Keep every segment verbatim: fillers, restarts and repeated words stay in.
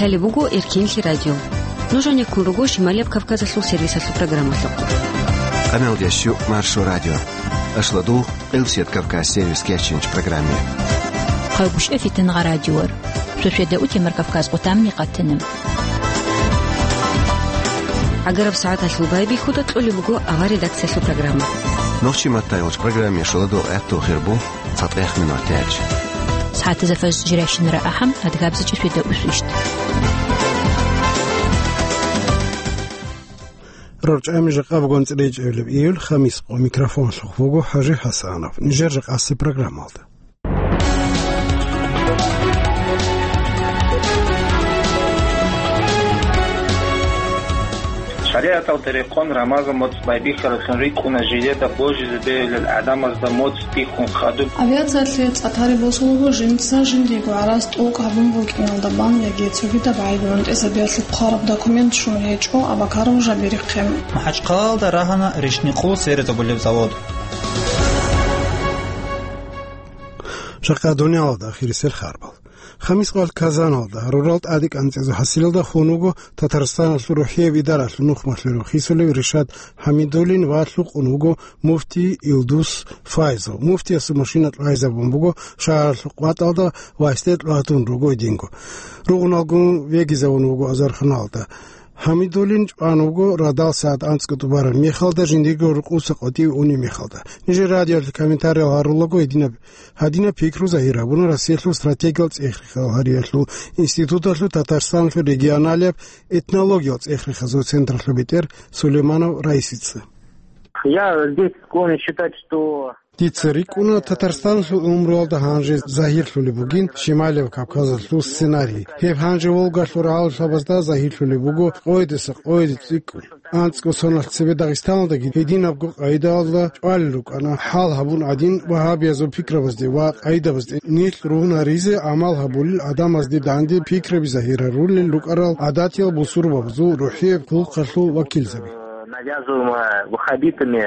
Гьале буго Эркинлъи радио. Нуж гьанеккун руго Шималияб Кавказалъул сервисалъул программалъухъ. Къамелдеш ю Маршо радио. Ашлад вуго Къилсият Кавказ сервис кечинчӀ программе. Хъайгъушъа фитнагъа радиор. Шошеда утемар Кавказ къутамни къатина. ГӀагараб сагӀаталъул байбихьуда кьолеб буго авар редакциялъул программа. Нохчи маттайгъуч программе шуладул гӀатту хирбу. Цадгъех минутач. СагӀатазда фажр жирайщинара ахӀам, адгабзачӀа шведа усвищт. РорчӀами жакъа бугон цӀречӀевлеб июль, хамис къо, микрофонлъухъ буго ХӀажи ХӀасанов. Нижер жакъаси программалда. ШаригӀаталда рекъон Рамазан моцӀ байбихьараблъун рикӀкӀуна жиледа божизе бегьулел гӀадамазда моцӀ бихьун хадуб. Авиациялъе цӀа тари босулеб жинца жиндиего гӀарац тӀокӀ гьабун букӀиналда бан яги цогидаб гӀайиб-гӀунтӀизабиялъе хъвараб документ щун гьечӀо Абакаров Жабирихъе. МахӀачхъалаялда рагьана ришни къул серезабулеб завод. Жакъа дуниялалда ахирисел харбал. Хамис къоялъ Казаналда, рурал тӀаде кӀанцӀизул хӀасилалда хун вуго Татарстаналъул рухӀияб идаралъул нухмалъулев хисулев Ришат ХӀамидуллин ва лъукъун вуго муфти Илдус Файзов. Муфтиясул машина кьвайзабун буго шагьаралъул къватӀалда ва гьесде кьватун руго гьединго. Ругъуналгун вегизавун вуго азарханалда. ХӀамидуллин чӀван вуго радал сагӀат анцӀго тӀубараб мехалда, жиндирго рукъуса къватӀив унеб мехалда. Нижер радиоялъе комментариял гьарулаго гьединаб Гьадинаб пикру загьир гьабуна Россиялъул стратегиял цӀех-рехал гьариялъул институталъул Татарстаналъул регионалияб этнологиял цӀех-рехазул централъул бетӀер Сулейманов Раисица. Я здесь склонен считать, что Дица рикӀкӀуна, Татарстаналъул умруялда гьанже загьирлъулеб бугин Шималияб Кавказалъул сценарий. Гьеб гьанже Волгалъул рагӀалулъабазда загьирлъулеб буго къойдаса къойде цӀикӀкӀун. АнцӀго соналъ цебе Дагъистаналдаги гьединабго къайдаялда чӀвалел рукӀана, хӀал гьабун гӀадин, вагьабиязул пикрабазде ва къайдабазде нилъ ругьун гьаризе гӀамал гьабулел гӀадамазде данде пикраби загьир гьарулел рукӀарал гӀадатиял бусурбабазул рухӀияб хъулухъалъул вакилзаби. Навязываемое ваххабитами.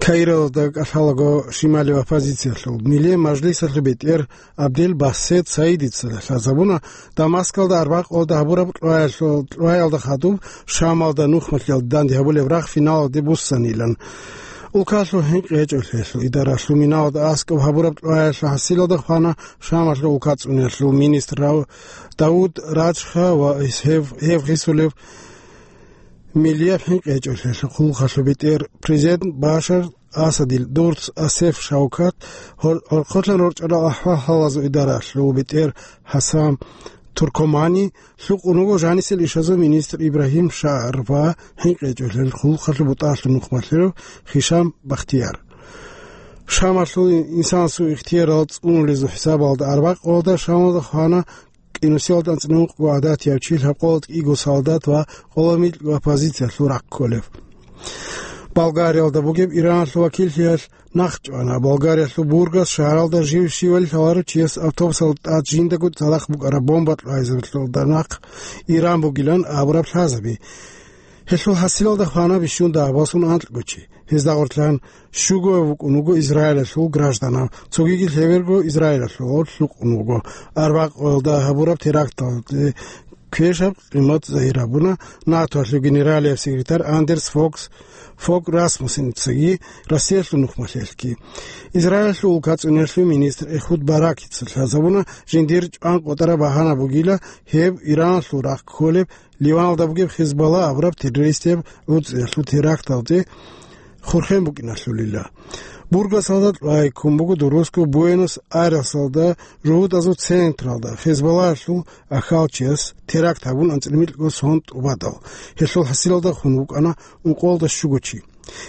Каиралда кӀалъалаго шималив оппозициялъул, миле мажлисалъул бетӀер Абдел Басет Саидица лъазабуна, Дамаскалда арбакъалда гьабураб кьваялъул, кьваялда хадуб Шамалда нухмалъиялда данде гьабулеб рагъ финалалде буссанилан. Улкалъул хӀинкъи гьечӀолъиялъул идаралъул миналда аскӀоб гьабураб кьваялъул хӀасилалда хвана Шамалъул улка цӀуниялъул министр Рав-, Давуд Раджха ва гьев, гьев гъисулев милияб хӀинкъи гьечӀолъиялъул хъулухъалъул бетӀер президент Башар Асадил дурц Асеф Шавкат, гьор-, гьоркьотлъан рорчӀарал ахӀвал-хӀалазул идаралъул бетӀер ХӀасан Туркомани, лъукъун вуго жанисел ишазул министр Ибрагьим Шаар ва хӀинкъи гьечӀолъиялъул хъулухъалъул бутӀалъул нухмалъулев Хишам Бахтияр. Шамалъул инсанасул ихтиярал цӀунулезул хӀисабалда арбакъалда Шамалда хвана кӀинусиялда анцӀила ункъго гӀадатияв чи, лъабкъоялда кӀиго солдат ва къоло микьго оппозициялъул рахъ кколев. Болгариялда бугеб Ираналъул вакиллъиялъ нахъ чӀвана. Болгариялъул Бургас шагьаралда жив щивали лъаларев чияс автобусалда тӀад жиндаго цадахъ букӀараб бомба кьвайзабилъулда нахъ Иран бугилан абураб лъазаби. Гьелъул хӀасилалда хвана бищун дагьабаллъун анкьго чи. Гьезда гъорлъан щуго вукӀун вуго Израилалъул гражданав, цогиги лъеберго Израилалъул гъорлъ лъукъун вуго. Арбакъоялда гьабураб теракталде квешаб къимат загьир гьабуна НАТОялъул генералияб секретарь Андерс Фокс, Фок Расмуссеницаги Россиялъул нухмалъиялъги. Израилалъул улка цӀуниялъул министр Эхуд Баракица лъазабуна, жиндир чӀван къотӀараб багьана бугила гьеб Ираналъул рахъ кколеб Ливаналда бугеб Хизбалла абураб террористияб гӀуцӀиялъул теракталде хурхен букӀиналъулила. Бургасалда кьвай ккун буго дурусго Буэнос-Айресалда жугьутӀазул централда Хизбаллаялъул ахьалчияс теракт гьабун анцӀила микьго сон тӀубадал. Гьелъул хӀасилалда хун вукӀана ункъоялда щуго чи.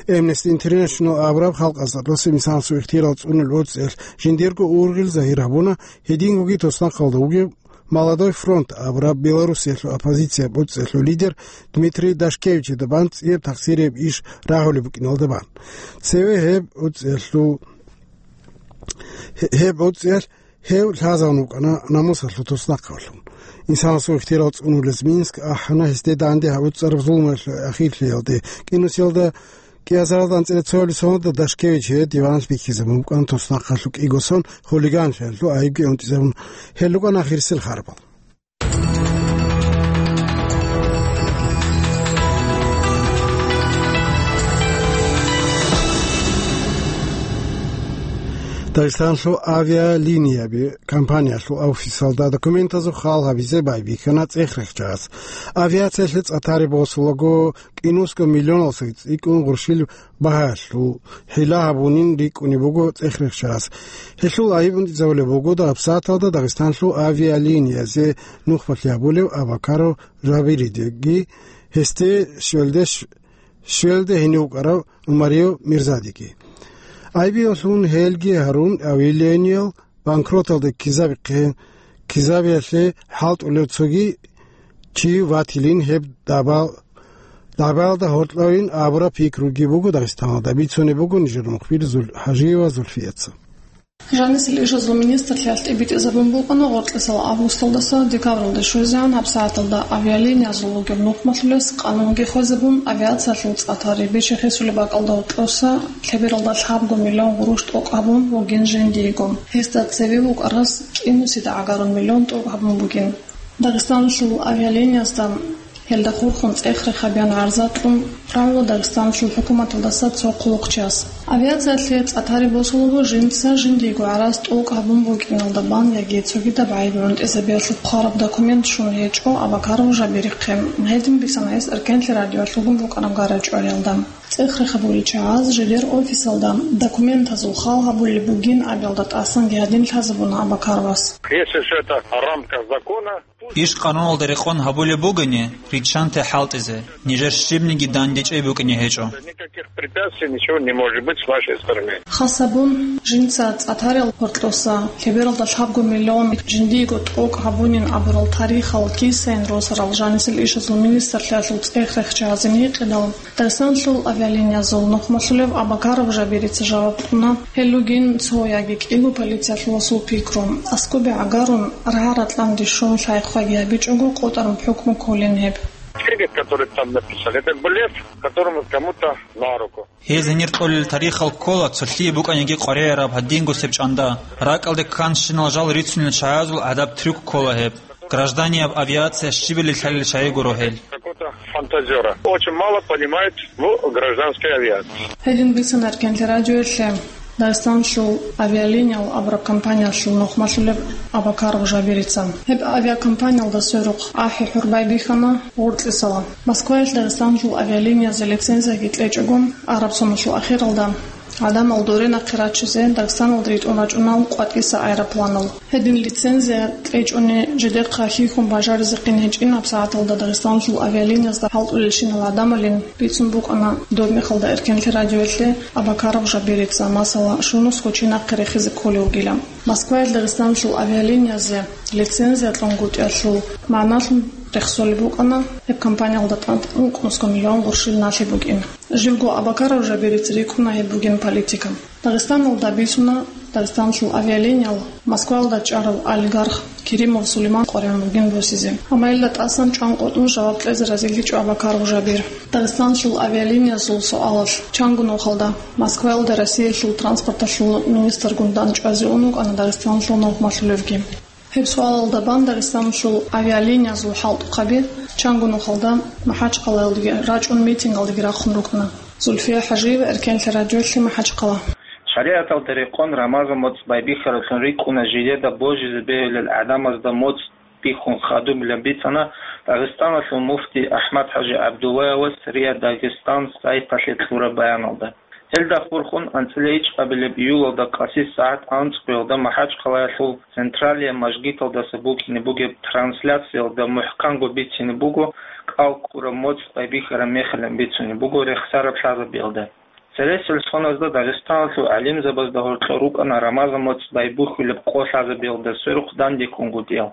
Amnesty International абураб халкъалъулъ росинисанасул ихтияр цӀунулел гӀуцӀиялъ жиндирго ургъел загьир гьабуна, гьедингоги туснахъалда вугев Молодой фронт абураб Белоруссиялъул оппозицияб гӀуцӀиялъул лидер Дмитрий Дашкевичида бан цӀияб тахсирияб иш рагьулеб букӀиналда бан. Цеве гьеб гӀуцӀиялъул, гьеб гӀуцӀиялъ гьев лъазавун вукӀана намусалъул туснахъалъун. Инсанасул ихтияр цӀунулез Минск ахӀана гьесде данде гьабуцӀараб зулмуялъул ахирлъиялде. КӀинусиялда кӀиазаралда анцӀила цоялил соналда Дашкевич гьев диваналъ бихьизабун букӀана туснахъалъул кӀиго сон хулиганлъиялъул айибги унтӀизабун. Гьел рукӀана ахирисел харбал. Дагъистанлъул авиалинияби компаниялъул офисалда документазул хал гьабизе байбихьана цӀех-рехчагӀаз. Авиациялъе цӀа тари босулаго, кӀинусго миллионал цӀикӀкӀун гъурщил багьалъул хӀила гьабунин рикӀкӀунеб буго цӀех-рехчагӀаз. Гьелъул айиб унтӀизабулеб буго гьабсагӀаталда Дагъистанлъул авиалиниязе нухмалъи гьабулев Абакаров Жабиридеги, гьесде щвелде щ-, щвелде гьенив вукӀарав Умарияв Мирзадиги. Айбиялъун гьелги гьарун, авиалиниял банкроталде ккезабихъе, ккезабиялъе хӀалтӀулев цоги чи ватилин гьеб дабал-, дабаялда гьоркьовин абураб пикруги буго Дагъистаналда, бицунеб буго нижер мухбир Зул-, ХӀажиева Зульфияца. Жанисел ишазул министрлъиялъ тӀибитӀизабун букӀана гъоркьисал августалдаса декабралде щвезегӀан гьабсагӀаталда авиалиниязул ругеб нухмалъулес къанунги хвезабун, авиациялъул цӀа тари бичи-хисулеб бакӀалда гьоркьоса лъебералда лъабго миллион гъурущ тӀокӀ гьабун вугин жиндиего. Гьесда цеве вукӀарас кӀинусида гӀагарун миллион тӀокӀ гьабун бугин. Дагъистанлъул авиалиниязда гьелда хурхун цӀех-рех гьабеян гӀарза кьун, рагӀула Дагъистанлъул хӀукуматалдаса цо хъулухъчияс. Авиациялъе цӀа тари босулаго жинца жиндиего гӀарац тӀокӀ гьабун букӀиналда бан яги цогидаб гӀайиб гӀунтӀизабиялъухъ хъвараб документ щун гьечӀо Абакаров Жабирихъе. Гьедин бицана гьес Эркенлъи радиоялъ вугун букӀараб гара-чӀвариялда. ЦӀех-рех гьабулел чагӀаз жидер офисалда документазул хал гьабулеб бугин абиялда тӀасанги гьадин лъазабуна Абакаровас. Если всё это в рамках закона, Иш къануналда рекъон гьабулеб бугони, риччанте хӀалтӀизе, нижер щибниги дандечӀей букӀине гьечӀо. Никаких препятствий, ничего не может быть с вашей стороны. Хасабун, жинца цӀа тарил гьоркьоса лъебералда лъабго миллион жиндиего тӀокӀ гьабунин абурал тарихал кисайин росарал жанисел ишазул министрлъиялъул цӀех-рехчагӀазин гьикъидал, Дагъистанлъул авиалиниязул нухмалъулев Абакаров Жабирица жаваб кьуна, гьел ругин цо яги кӀиго полициялъуласул пикру. Аскоби гӀагарун, рагӀа-ратӀланги щун лъай-хъваги гьабичӀого къотӀараб хӀукму кколин гьеб. Фигат, который там написали, это блеф, которому кому-то на руку. Гьез гьенир кьолел тарихал ккола, цолъие букӀаниги къваригӀараб гьадингусеб чӀанда. РакӀалде кканщинал жал рицунел чагӀазул гӀадаб трюк ккола гьеб. Гражданияб авиация щибали лъалел чагӀи гуро гьел. Какого-то фантазёра. Очень мало понимает в гражданской авиации. Гьедин бицана Эркенлъи радиоялъе Дагъистанлъул авиалиниял абураб компаниялъул нухмалъулеб Абакаров Жабирица. Гьеб авиакомпаниялда сверухъ ахӀи-хӀур байбихьана гъоркьисала. Москваялъ Дагъистанлъул авиалиниязе лицензияги кьечӀого, араб соналъул ахиралда гӀадамал доре нахъе рачизе Дагъистаналда ритӀун рачӀуна къватӀиса аэропланал. Гьедин лицензия кьечӀони жидехъа хьихьун бажаризехъин гьечӀин гьабсагӀаталда Дагъистанлъул авиалиниязда хӀалтӀулелщинал гӀадамалин бицун букӀана доб мехалда Эркенлъи радиоялъе Абакаров Жабирица, масала, щунусго чи нахъе рехизе кколев вугила. Москваялъ Дагъистанлъул авиалиниязе лицензия кьунгутӀиялъул магӀналъун рехсолеб букӀана, гьеб компаниялда тӀад ункънусго миллион гъурщил налъи бугин. Живго Абакаров Жабирица рикӀкӀуна гьеб бугин политика. Дагъистаналда бицуна Дагъистанлъул авиалиниял Москваялда чӀарав олигарх Керимов Сулейман къваригӀун бугин босизе. Амма гьелда тӀасан чӀван къотӀун жаваб кьезе разилъичӀо Абакаров Жабир. Дагъистанлъул авиалиниязул суалалъ, чанго нухалда Москваялда Россиялъул транспорталъул министргун дандчӀвазе ун вукӀана Дагъистанлъул нухмалъулевги. Гьеб суалалда бан Дагъистанлъул авиалиниязул хӀалтӀухъаби чанго нухалда МахӀачхъалаялдаги рачӀун митингалдаги рахъун рукӀана. Зульфия ХӀажиева, Эркенлъи радиоялъе, МахӀачхъала. ШаригӀаталда рекъон Рамазан моцӀ байбихьараблъун рикӀкӀуна жидеда божизе бегьулел гӀадамазда моцӀ бихьун хадубилан бицана Дагъистаналъул муфти АхӀмад-ХӀажи ГӀабдуллаевас РИА Дагъистан сайталъе кьураб баяналда. Гьелда хурхун анцӀила ичӀабилеб июлалда къаси сагӀат анцӀгоялда МахӀачхъалаялъул Централия мажгиталдаса букӀине бугеб трансляциялда мухӀканго бицине буго, кӀал ккураб моцӀ байбихьараб мехалъ бицунеб буго рехсараб лъазабиялда. Цересел соназда Дагъистаналъул гӀалимзабазда гьоркьор рукӀана Рамазан моцӀ байбухьулеб къо лъазабиялда сверухъ дандеккунгутӀиял.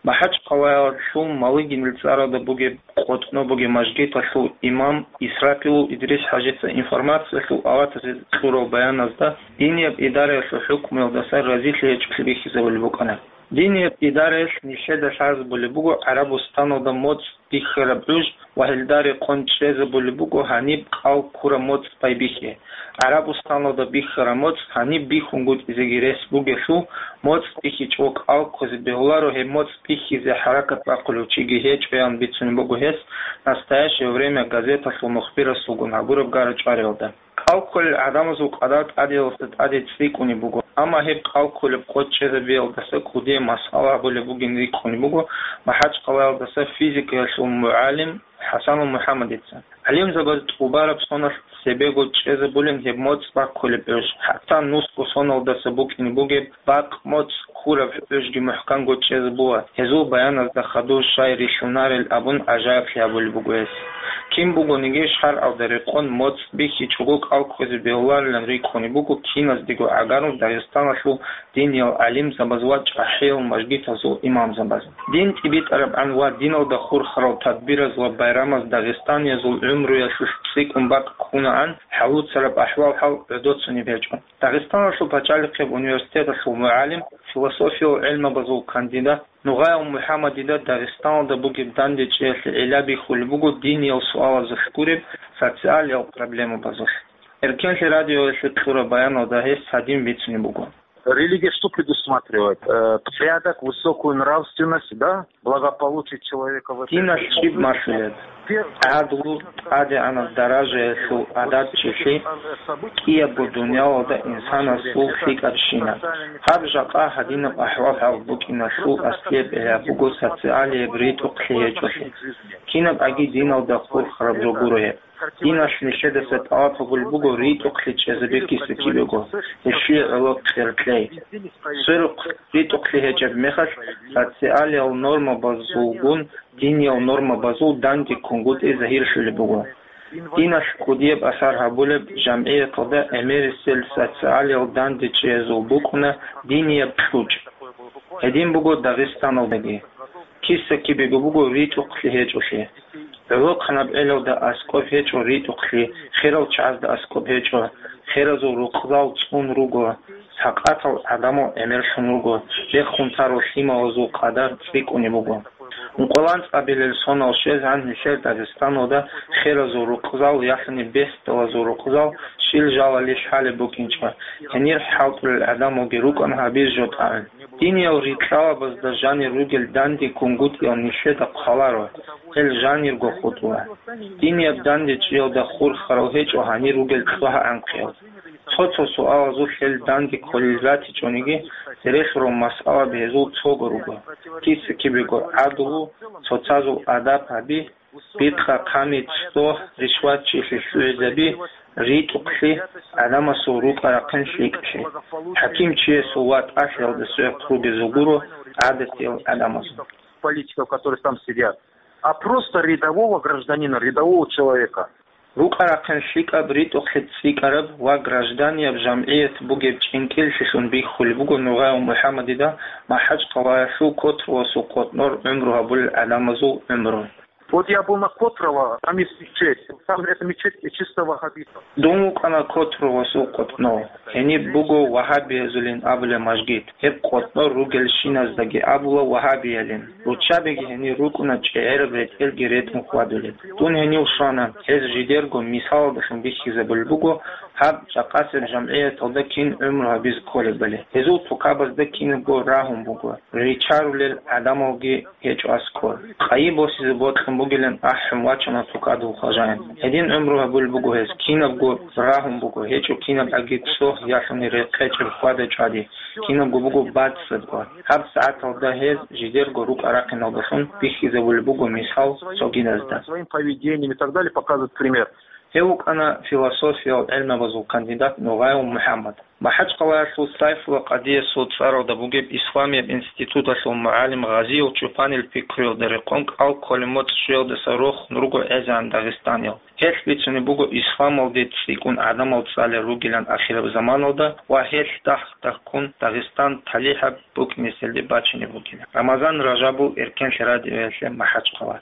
МахӀачхъалаялъул Малыгинил цӀаралда бугеб къотӀноб бугеб мажгиталъул имам Исрапилов Идрис-хӀажица информациялъул аватазе кьурал баяназда динияб идараялъул хӀукмуялдаса разилъи гьечӀолъи бихьизабулеб букӀана. Динияб идараялъ нилъеда лъазабулеб буго ГӀарабустаналда моцӀ бихьараб гӀуж ва гьелда рекъон чӀезабулеб буго гьаниб кӀал ккураб моцӀ байбихьи. ГӀарабустаналда бихьараб моцӀ гьаниб бихьунгутӀизеги рес бугелъул, моцӀ бихьичӀого кӀал ккузе бегьуларо гьеб моцӀ бихьизе хӀаракат бахъулев чиги гьечӀоян бицунеб буго гьес «Настоящее время» газеталъул мухбирасулгун гьабураб гара-чӀвариялда. Кьал кколел гӀадамазул къадар тӀадеялъа тӀаде цӀикӀкӀунеб буго, амма гьеб кьал кколеб къо чӀезабиялдаса кӀудияб масъала гьабулеб бугин рикӀкӀунеб буго МахӀачкъалаялдаса физикаялъул мугӀалим ХӀасанул МухӀаммадица. ГӀалимзабаз тӀубараб соналъ цебего чӀезабулин гьеб моцӀ баккулеб гӀуж, хӀатта нусго соналдаса букӀине бугеб бакъ моцӀ хьураб гӀужги мухӀканго чӀезабула, гьезул баяназда хадур щай рилълъунарел абун гӀажаиблъи гьабулеб буго гьес. Кин бугониги шаргӀалда рекъон моцӀ бихьичӀого кӀал кквезе бегьуларилан рикӀкӀунеб буго киназдего гӀагарун Дагъистаналъул диниял гӀалимзабаз ва чӀахӀиял мажгитазул имамзабаз. Дин тӀибитӀарабгӀан ва диналда хурхарал тадбираз ва байрамаз дагъистаниязул гӀумруялъулъ цӀикӀкӀун бакӀ ккунагӀан, хӀалуцараб ахӀвал-хӀал гӀодоцунеб гьечӀо. Дагъистаналъул пачалихъеб университеталъул мугӀалим, философиял гӀелмабазул кандидат Нугъаяв МухӀаммадида Дагъистаналда бугеб дандечӀеялъе гӀилла бихьулеб буго диниял суалазулъ гуреб социалиял проблемабазулъ. Эркенлъи радиоялъе кьураб баяналда гьес гьадин бицунеб буго. Религия что предусматривает? Э, порядок, высокую нравственность, да? Благополучие человека в этой жизни. Диналъ щиб малъулеб? ГӀадлу, тӀадегӀанаб даражаялъул адабчилъи, кӀиябго дуниялалда инсанасул лъикӀабщина. Гьаб жакъа гьадинаб ахӀвал-хӀал букӀиналъул аслияб гӀилла буго социалияб ритӀухълъи гьечӀолъи. Кинаб аги диналда хурхараб жо гуро гьеб. Диналъ нилъедаса тӀалаб гьабулеб буго ритӀухълъи чӀезабе киса-кибего, гьелъие гӀоло кьеркьей. Сверухъ ритӀухълъи гьечӀеб мехалъ, социалиял нормабазулгун диниял нормабазул данде ккунгутӀи загьирлъулеб буго. Диналъ кӀудияб асар гьабулеб жамгӀияталда гӀемерисел социалиял дандечӀеязул букӀуна динияб кьучӀ. Гьедин буго Дагъистаналдаги. Киса-кибего буго ритӀухълъи гьечӀолъи. ГӀолохъанаб гӀелалда аскӀоб гьечӀо ритӀухълъи, херал чагӀазда аскӀоб гьечӀо, херазул рукъзал цӀун руго, сакъатал гӀадамал гӀемерлъун руго, рехун тарал лъималазул къадар цӀикӀкӀунеб буго. Ункъоялда анцӀабилел сонал щвезегӀан нилъер Дагъистаналда херазул рукъзал, яхӀни бесдалазул рукъзал щил жалали лъалеб букӀинчӀо, гьенир хӀалтӀулел гӀадамалги рукӀана гьабизе жо тӀагӀун. Диниял рикьалабазда жанир ругел данде ккунгутӀиял нилъеда хъваларо, гьел жанирго хутӀула. Динияб дандечӀеялда хурхарал гьечӀо гьанир ругел цӀогьа-анкъиял. Цо-цо суалазулъ гьел данде кколел ратичӀониги, церехъ рун масъалаби гьезул цого руго. Киса-кибего гӀадлу, цоцазул адаб гьаби, бикъа-хъами, цӀогь, ришватчилъи лъугӀизаби, ритӀухълъи, гӀадамасул рукӀа-рахъин лъикӀлъи. ХӀакимчиясул ва тӀалъиялда сверухъ ругезул гуро гӀадатиял гӀадамазул. Политиков, которые там сидят, а просто рядового гражданина, рядового человека. РукӀа-рахъин лъикӀаб, ритӀухълъи цӀикӀкӀараб ва гражданияб жамгӀият бугеб чӀинкӀиллъилъун бихьулеб буго Нугъаев МухӀаммадида МахӀачкъалаялъул Котровасул къотӀнор гӀумру гьабулел гӀадамазул гӀумру. Вот я был на Котрово, там есть мечеть. Там эта мечеть чисто ваххабитов. Дун вукӀана Котровасул къотӀнов. Гьениб буго вагьабиязулин абулеб мажгит. Гьеб къотӀнор ругелщиназдаги абула вагьабиялин. Руччабиги гьенир рукӀуна чӀегӀераб ретӀелги ретӀун хьвадулел. Дун гьенив щвана, гьез жидерго мисалалдалъун бихьизабулеб буго гьаб жакъасеб жамгӀияталда кин гӀумру гьабизе кколебали. Гьезул тукабазда кинабго рагьун буго, ричарулел гӀадамалги гьечӀо аскӀор. Къайи босизе бокьун бугилан ахӀун вачана тукадул хважаин. Гьедин гӀумру гьабулеб буго гьез, кинабго рагьун буго, гьечӀо кинаб аги цӀогь ялъуни рекъечӀеб хьвада-чӀвади, кинабго буго бацӀцӀадго. ГьабсагӀаталда гьез жидерго рукӀа-рахъиналдалъун бихьизабулеб буго мисал цогидазда. Своим поведением и так далее показывает пример. Гьев вукӀана философиял гӀелмабазул кандидат Нугъаев МухӀаммад. МахӀачкъалаялъул Сайфулла къадиясул цӀаралда бугеб исламияб институталъул мугӀалим Гъазиев Чупанил пикруялда рекъон кӀал кколеб моцӀ щвеялдаса рохун руго гӀезегӀан дагъистаниял. Гьелъ бицунеб буго исламалде цӀикӀкӀун гӀадамал цӀалел ругилан ахираб заманалда ва гьелъ дагь-дагьккун Дагъистан талихӀаб букӀинеселде бачине бугила. Рамазан Ражабов, Эркенлъи радиоялъе, МахӀачкъала.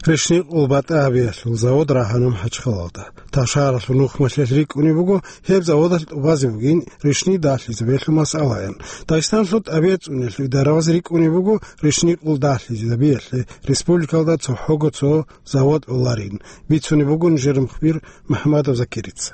Ришни къул батӀа гьабиялъул завод рагьана МахӀачкъалалда. Тавшаралъул нухмалъелъ рикӀкӀунеб буго гьеб заводалъ тӀубазе бугин ришни далъизабиялъул масъалаян. Дагъистаналъул тӀабигӀат цӀуниялъул идараваз рикӀкӀунеб буго ришни къул далъизабиялъе республикалда цохӀого цо завод гӀоларин, бицунеб буго нижер мухбир МухӀамадов Закирица.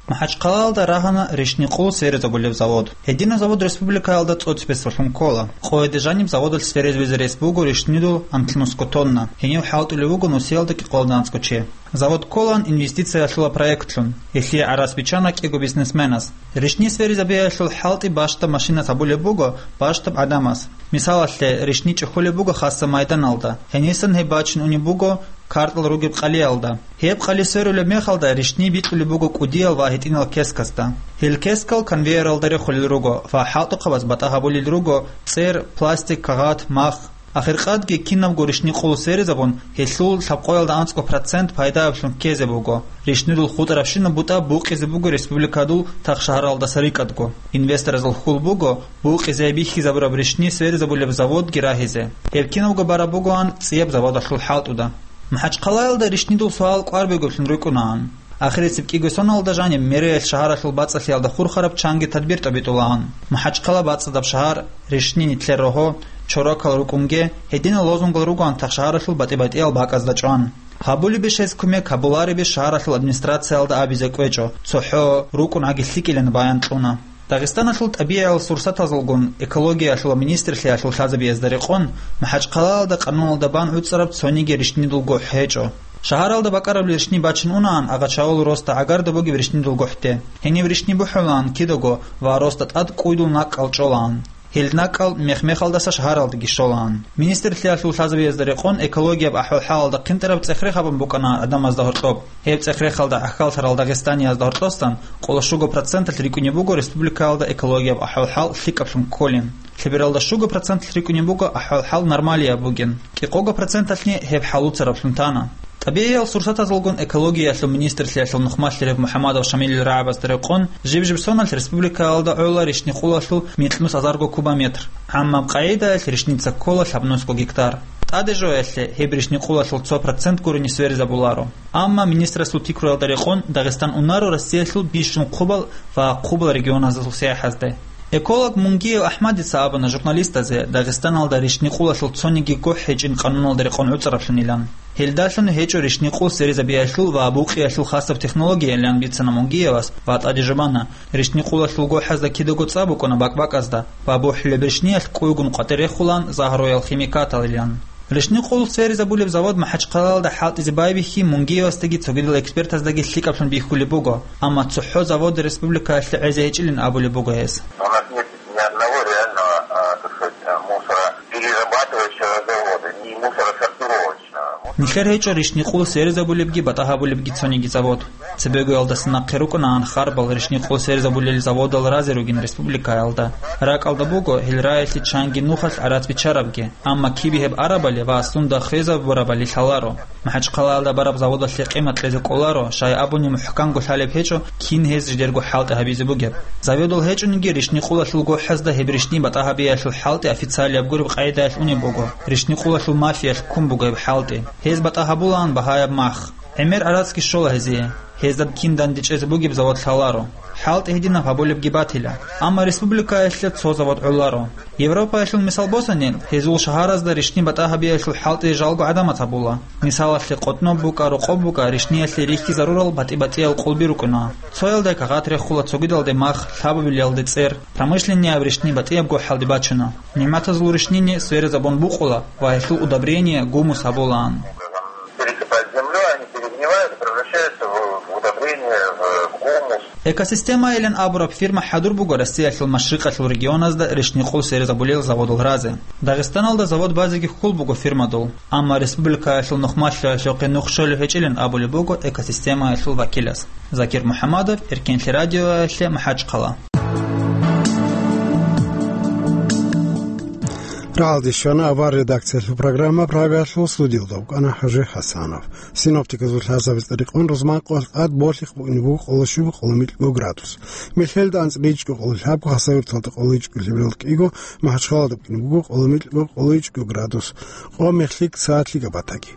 МахӀачхъалаялда рагьана ришни-къул сверизабулеб завод. Гьединаб завод республикаялда цӀоцебесалъун ккола. Къояде жаниб заводалъ сверизабизе рес буго ришнидул анлънусго тонна. Гьенив хӀалтӀулев вуго нусиялда кӀикъоялда анцӀго чи. Завод кколаан инвестициялъула проектлъун. Гьелъие гӀарац биччана кӀиго бизнесменас. Ришни сверизабиялъул хӀалтӀи бащдаб машинас гьабулеб буго бащдаб гӀадамас. Мисалалъе, ришни чӀухьулеб буго хасаб майданалда, гьенисан гьеб бачун унеб буго картӀал ругеб къалиялда. Гьеб къали сверулеб мехалда ришни бикьулеб буго кӀудиял ва гьитӀинал кескасда. Гьел кескал конвейералда рехулел руго ва хӀалтӀухъабаз батӀа гьабулел руго цӀер, пластик, кагъат, мах. Ахиркъадги кинабго ришни-къул сверизабун, гьелъул лъабкъоялда анцӀго процент пайдаялъун ккезе буго. Ришнидул хутӀарабщинаб бутӀа букъизе буго республикадул тахшагьаралдаса рикӀкӀадго. Инвесторазул хьул буго букъизе бихьизабураб ришни сверизабулеб заводги рагьизе. Гьеб кинабго бараб бугоан цӀияб заводалъул хӀалтӀуда. МахӀачхъалаялда ришнидул суал кӀвар бугеблъун рукӀунаан. Ахирисеб кӀиго соналда жаниб мэриялъ шагьаралъул бацӀцӀалъиялда хурхараб чанги тадбир тӀобитӀулаан. МахӀачхъала бацӀцӀадаб шагьар, ришни, нилъер рогьо, чорокал рукӀунге, гьединал лозунгал ругоан тахшагьаралъул батӀи-батӀиял бакӀазда чӀван. Гьабулебищ гьез кумек, гьабуларебищ шагьаралъул администрациялда абизе кӀвечӀо, цохӀо рукӀун гӀаги лъикӀилан баян кьуна. Дагъистаналъул тӀабигӀиял сурсатазулгун экологиялъул ва министрлъиялъул лъазабиязда рекъон, МахӀачхъалаялда къануналда бан гӀуцӀараб цониги ришнидул гохӀ гьечӀо. Шагьаралда бакӀараб ришни бачун унаан Агъачавул росда гӀагарда бугеб ришнидул гохӀде. Гьениб ришни бухӀулаан кидаго ва росда тӀад кӀуйдул накӀкӀал чӀолаан. Гьел накӀкӀал мех-мехалдаса шагьаралдаги щолаан. Министрлъиялъул лъазабиязда рекъон экологияб ахӀвал-хӀалалда хъинтӀараб цӀех-рех гьабун букӀана гӀадамазда гьоркьоб. Гьеб цӀех-рехалда гӀахьаллъарал Дагъистаниязда гьоркьосан къоло щуго проценталъ рикӀкӀунеб буго республикаялда экологияб ахӀвал-хӀал лъикӀаблъун кколин. Лъебералда щуго проценталъ рикӀкӀунеб буго ахӀвал-хӀал нормалияб бугин. КӀикъого проценталъни гьеб хӀалуцараблъун тана. ТӀабигӀиял сурсатазулгун экологиялъул министрлъиялъул нухмалъарав МухӀамадов Шамилил рагӀабазда рекъон, жиб-жиб соналъ республикаялда гӀола ришни-къулалъул микьнус азарго кубометр. ГӀаммаб къагӀидаялъ ришница ккола лъабнусго гектар. ТӀаде жоялъе гьеб ришни-къулалъул цо процент гурони сверизабуларо. Амма министрасул пикруялда рекъон Дагъистан унаро Россиялъул бищун хъубал ва хъубал регионазул сияхӀазде. Эколог Мунгиев АхӀмадица абуна журналистазе Дагъистаналда ришни-къулалъул цониги гохӀ гьечӀин къануналда рекъон гӀуцӀараблъунилан. Гьелдалъун гьечӀо ришни-къул сверизабиялъул ва букъиялъул хасаб технологиялъан бицана Мунгиевас ва тӀаде жубана, ришни-къулалъул гохӀазда кидаго цӀа букӀуна бакӀ-бакӀазда ва бухӀулеб ришниялъ кӀуйгун къватӀир рехулаан загьруял химикаталилан. Ришни-къул сверизабулеб завод МахӀачхъалаялда хӀалтӀизе байбихьи Мунгиевасдаги цогидал экспертаздаги лъикӀаблъун бихьулеб буго, амма цохӀо завод республикаялъе гӀезе гьечӀилин абулеб буго гьес. У нас нет ни одного реального, а, так сказать, а, мусороперерабатывающего завода, ни мусоросортировочного. Нилъер гьечӀо ришни-къул сверизабулебги батӀа гьабулебги цониги завод. Цебегоялдаса нахъе рукӀунаан харбал ришни-къул сверизабулел заводал разе ругин республикаялда. РакӀалда буго гьел раялъе чанги нухалъ гӀарац биччарабги, амма кибе гьеб арабали ва сунда хвезабурабали лъаларо. МахӀачхъалаялда бараб заводалъе къимат кьезе кӀоларо, щай абуни мухӀканго лъалеб гьечӀо, кин гьез жидерго хӀалтӀи гьабизе бугеб. Заводал гьечӀониги ришни-къулалъул гохӀазда гьеб ришни батӀа гьабиялъул хӀалтӀи официалияб гуреб къагӀидаялъ унеб буго, ришни-къулалъул мафиялъ ккун буго гьеб хӀалтӀи. Гьез батӀа гьабулаан багьаяб мах. ГӀемер гӀарацги щола гьезие. Гьезда кин дандечӀезе бугеб завод лъаларо. ХӀалтӀи гьединаб гьабулебги батила. Амма республикаялъе цо завод гӀоларо. Европаялъул мисал босани, гьезул шагьаразда ришни батӀа гьабиялъул хӀалтӀи жалго гӀадамаз гьабула. Мисалалъе, къотӀноб букӀа, рокъоб букӀа ришниялъе рихьизарурал батӀи-батӀиял къулби рукӀуна. Цоялда кагъат рехула, цогидалде мах, лъабабилалде цӀер, промышленнияб ришни батӀияб гохӀалде бачуна. НигӀматазул ришнини сверизабун букъула ва гьелъул удобрение, гумус гьабулаан. Пересыпать землёй, они перегнивают, превращаются в, в удобрение, в, в гумус. Экосистемайилан абураб фирма хӀадур буго Россиялъул машрикъалъул регионазда ришни-къул сверизабулел заводал разе. Дагъистаналда завод базеги хьул буго фирмадул, амма республикаялъул нухмалъиялъухъе нух щолеб гьечӀилан абулеб буго экосистемаялъул вакилас. Закир МухӀамадов, Эркенлъи радиоялъе, МахӀачхъала. РагӀалде щвана авар редакциялъул программа, Прагаялъул студиялда вукӀана ХӀажи ХӀасанов. Синоптиказул лъазабиз тӀадикъун рузман къо-, къад болъихъ букӀине буго къоло щиб къоло микьго градус. Мехьелда анцӀила ичӀго къоло лъабго, Хасавюрталда къоло ичӀго лъеберал кӀиго, МахӀачхъалада букӀине буго къоло микьго къоло ичӀго градус. Къо мехлъи саатлъи габатаги.